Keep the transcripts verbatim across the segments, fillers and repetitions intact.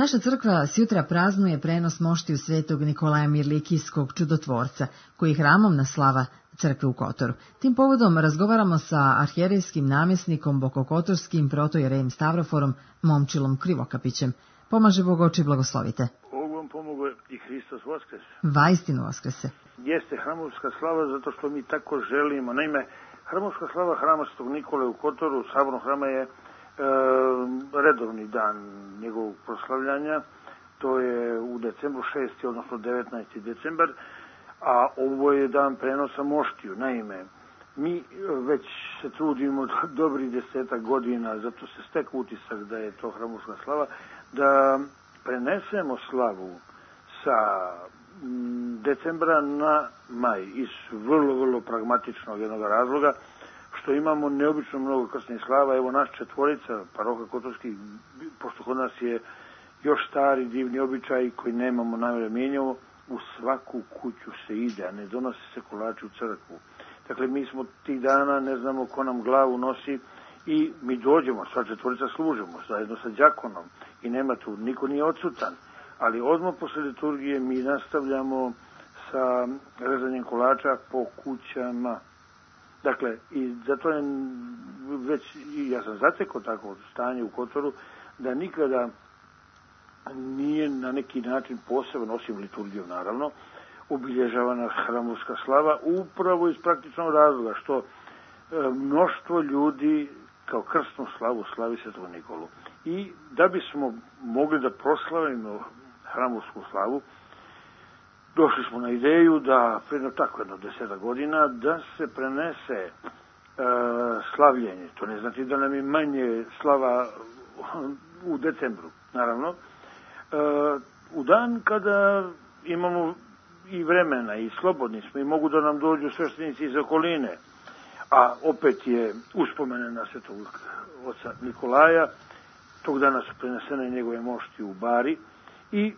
Naša crkva sjutra praznuje prenos moštiju svetog Nikolaja Mirlikijskog čudotvorca, koji hramom naslava crkve u Kotoru. Tim povodom razgovaramo sa arhijerejskim namjesnikom Bokokotorskim protojerejem Stavroforom Momčilom Krivokapićem. Pomaže Bog oči, blagoslovite. Bog vam pomogu i Hristos Voskrese. Vaistinu Voskrese. Jeste hramovska slava zato što mi tako želimo. Naime, hramovska slava hrama Svetog Nikole u Kotoru, sabornog hrama, je E, redovni dan njegovog proslavljanja. To je u decembru šesti, odnosno devetnaesti decembar, a ovo je dan prenosa moštiju. Naime, mi već se trudimo dobrih desetak godina, zato se stek utisak da je to hramovska slava, da prenesemo slavu sa decembra na maj iz vrlo, vrlo pragmatičnog jednog razloga, što imamo neobično mnogo krstnih slava. Evo naš četvorica, paroha Kotorskih, pošto kod nas je još stari divni običaj koji nemamo namjere mijenjamo, u svaku kuću se ide, a ne donosi se kolači u crkvu. Dakle, mi smo tih dana, ne znamo ko nam glavu nosi i mi dođemo, sva četvorica služimo, zajedno sa đakonom i nema tu, niko nije odsutan, ali odmah posle liturgije mi nastavljamo sa rezanjem kolača po kućama. Dakle, i zato je već, ja sam zatekao tako stanje u Kotoru, da nikada nije na neki način posebno, osim liturgijom naravno, obilježavana hramovska slava, upravo iz praktičnog razloga, što e, mnoštvo ljudi kao krstnu slavu slavi Svetog Nikolu. I da bismo mogli da proslavimo hramovsku slavu, došli smo na ideju da, predno tako jedno deseta godina, da se prenese e, slavljenje. To ne znači da nam je manje slava u decembru, naravno. E, u dan kada imamo i vremena i slobodni smo i mogu da nam dođu sveštenici iz okoline, a opet je uspomene na Svetog oca Nikolaja, tog dana su prenesene njegove mošti u Bari i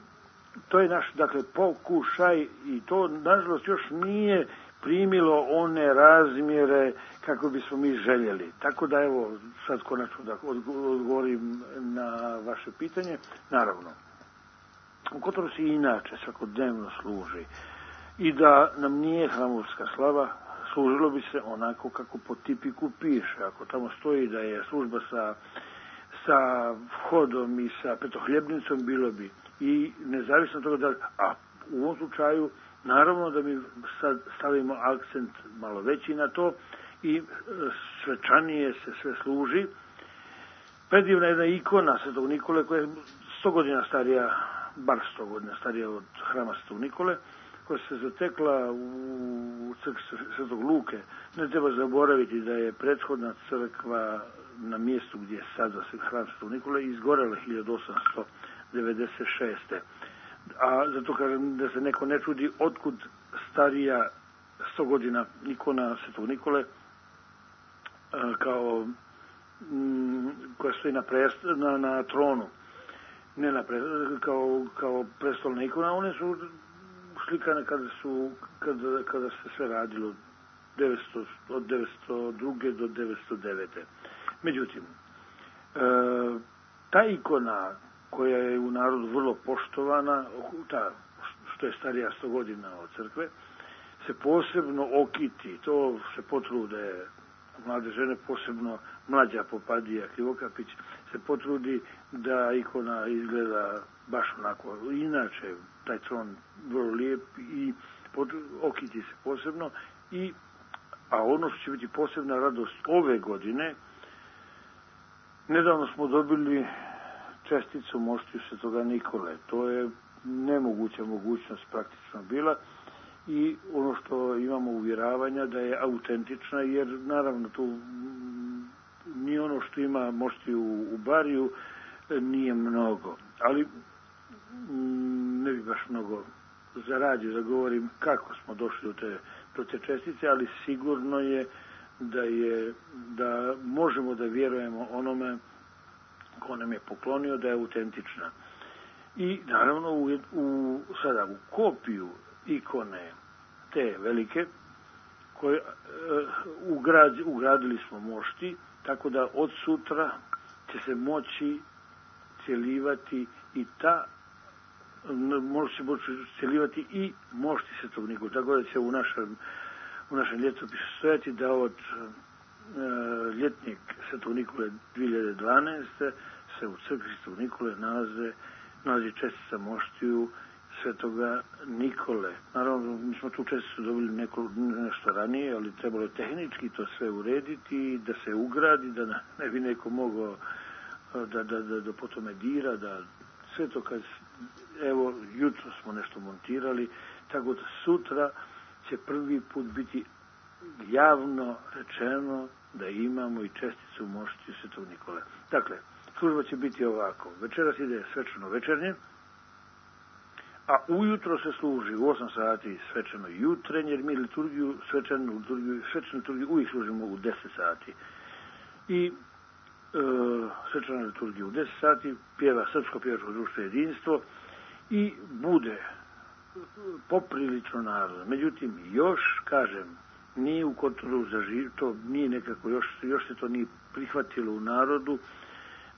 to je naš, dakle, pokušaj i to, nažalost, još nije primilo one razmjere kako bismo mi željeli. Tako da, evo, sad konačno da odgovorim na vaše pitanje. Naravno, u Kotoru se inače svakodnevno služi i da nam nije hramovska slava, služilo bi se onako kako po tipiku piše. Ako tamo stoji da je služba sa, sa vhodom i sa petohljebnicom, bilo bi. I nezavisno toga da, a u ovom slučaju, naravno da mi sad stavimo akcent malo veći na to i svečanije se sve služi. Predivna jedna ikona Svetog Nikole koja je sto godina starija, bar sto godina starija od hrama Svetog Nikole, koja se zatekla u crkvi Svetog Luke. Ne treba zaboraviti da je prethodna crkva na mjestu gdje je sada hram Svetog Nikole izgorela hiljadu osamsto devedeset šeste. A zato kažem da se neko ne čudi otkud starija sto godina ikona Svetog Nikole kao m, koja stoji na, prest, na, na tronu, ne na prest, kao, kao prestolna ikona. One su slikane kada, su, kada, kada se sve radilo devetsto, od devetsto druge do devetsto devete. Međutim, e, ta ikona koja je u narodu vrlo poštovana, ta što je starija sto godina od crkve, se posebno okiti, to se potrude mlade žene, posebno mlađa popadija Krivokapić, se potrudi da ikona izgleda baš onako. Inače, taj tron vrlo lijep i okiti se posebno, i, a ono što će biti posebna radost ove godine, nedavno smo dobili česticu moštiju Svetoga Nikole. To je nemoguća mogućnost praktično bila i ono što imamo uvjeravanja da je autentična, jer naravno tu ni ono što ima moštiju u Bariju nije mnogo. Ali ne bi baš mnogo zaradio da govorim kako smo došli do te, do te čestice, ali sigurno je da je da možemo da vjerujemo onome ko nam je poklonio da je autentična. I naravno u, u, sada u kopiju ikone te velike koje uh, ugrad, ugradili smo mošti, tako da od sutra će se moći cjelivati i ta može se uceljivati i mošti Svetog Nikole. Tako da će u našem, u našem ljetopisu stojati da od uh, ljetnjeg Svetog Nikole dvije hiljade dvanaeste. se u crkvi Svetog Nikole nalaze, nalazi čestica moštiju Svetoga Nikole. Naravno, mi smo tu česticu dobili neko, nešto ranije, ali trebalo je tehnički to sve urediti, da se ugradi, da ne bi neko mogao da, da, da, da po tome dira, da sve to kad, evo, jutro smo nešto montirali, tako da sutra će prvi put biti javno rečeno da imamo i česticu moštiju Svetog Nikole. Dakle, služba će biti ovako. Večeras ide svečano večernje, a ujutro se služi u osam sati svečano jutrenje, jer mi liturgiju, svečanu liturgiju, svečanu liturgiju uvijek služimo u deset sati. I e, svečana liturgija u deset sati, pjeva Srpsko pjevačko društvo Jedinstvo i bude poprilično narodno. Međutim, još, kažem, nije u Kotoru zaživ, to nije nekako, još, još se to nije prihvatilo u narodu,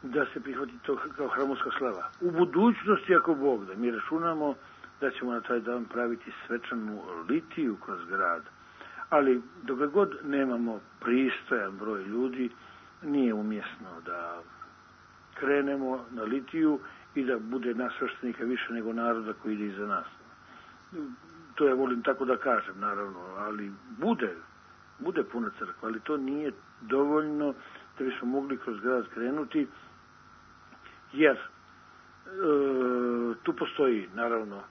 da se prihvati to kao hramovska slava. U budućnosti, ako Bog da, mi računamo da ćemo na taj dan praviti svečanu litiju kroz grad. Ali dok god nemamo pristojan broj ljudi, nije umjesno da krenemo na litiju i da bude nas sveštenika više nego naroda koji ide iza nas. To ja volim tako da kažem, naravno, ali bude, bude puna crkva, ali to nije dovoljno da bismo mogli kroz grad krenuti, jer e, tu postoji, naravno, e,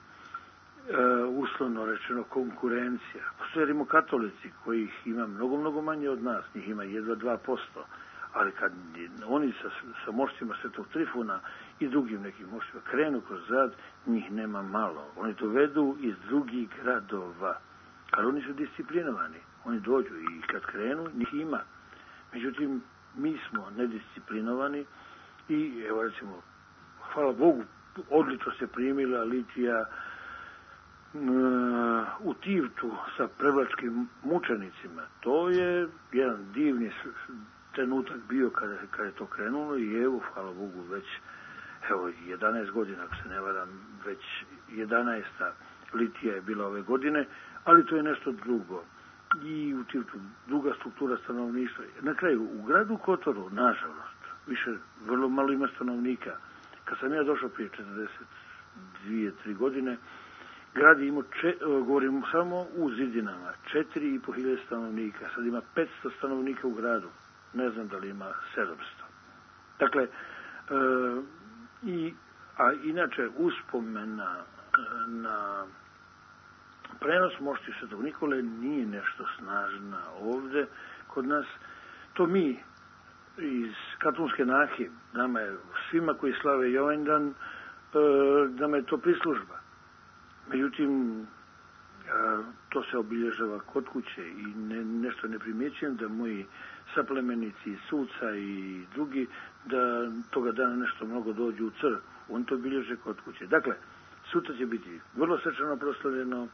uslovno rečeno konkurencija. Postoje rimokatolici kojih ima mnogo, mnogo manje od nas, njih ima jedva dva posto, ali kad oni sa, sa moštima Svetog Trifuna i drugim nekim moštima krenu kroz grad, njih nema malo. Oni dovedu iz drugih gradova, ali oni su disciplinovani. Oni dođu i kad krenu, njih ima. Međutim, mi smo nedisciplinovani i, evo recimo, hvala Bogu, odlično se primila litija u Tivtu sa prevlačkim mučenicima. To je jedan divni trenutak bio kada, kada je to krenulo i evo, hvala Bogu, već evo, jedanaest godina, ako se ne varam, već jedanaesta litija je bila ove godine, ali to je nešto drugo. I u Tivtu druga struktura stanovništva. Na kraju, u gradu Kotoru, nažalost, više vrlo malo ima stanovnika. Kad sam ja došao prije četrdeset dvije, tri godine, grad je imao, če, govorim samo u zidinama, četiri i po hiljade stanovnika. Sad ima petsto stanovnika u gradu. Ne znam da li ima sedamsto. Dakle, e, i, a inače uspomena na prenos moštiju Svetog Nikole nije nešto snažna ovde kod nas. To mi iz Katunske nahe, nama je svima koji slave Jovendan, nama je to prislužba. Međutim, to se obilježava kod kuće i ne, nešto ne primjećujem da moji saplemenici, suca i drugi, da toga dana nešto mnogo dođu u crkvu. On to obilježe kod kuće. Dakle, sutra će biti vrlo svečano proslavljeno,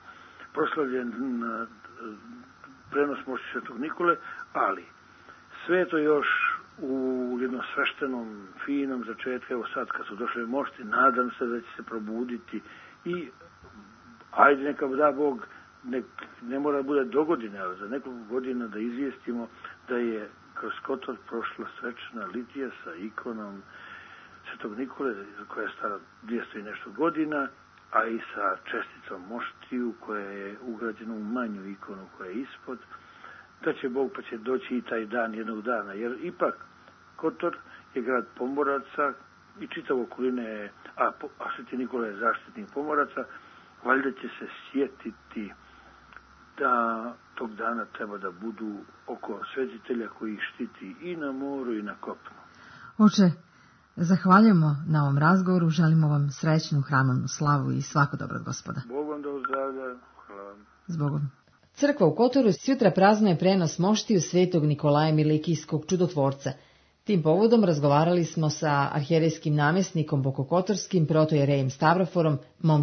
proslavljen na prenos mošti Svetog Nikole, ali sve to još u jednom sveštenom, finom začetku. Evo sad kad su došle mošti, nadam se da će se probuditi i ajde neka da Bog, nek, ne mora da bude do godine, ali za nekoliko godina da izvijestimo da je kroz Kotor prošla svečana litija sa ikonom Svetog Nikole, koja je stara dvjesto i nešto godina, a i sa česticom moštiju koja je ugrađena u manju ikonu koja je ispod, da će Bog pa će doći i taj dan jednog dana, jer ipak Kotor je grad pomoraca i čitavo okoline je, a, a Sveti Nikola je zaštitnik pomoraca, valjda će se sjetiti da tog dana treba da budu oko svetitelja koji ih štiti i na moru i na kopnu. Oče, zahvaljujemo na ovom razgovoru, želimo vam srećnu hramovnu slavu i svako dobro od Gospoda. Bog vam da uzdravlja, hvala vam. Zbogom. Crkva u Kotoru sutra praznuje prenos moštiju Svetog Nikolaja Milikijskog čudotvorca. Tim povodom razgovarali smo sa arhijerejskim namjesnikom Bokokotorskim protojerejem Stavroforom, mom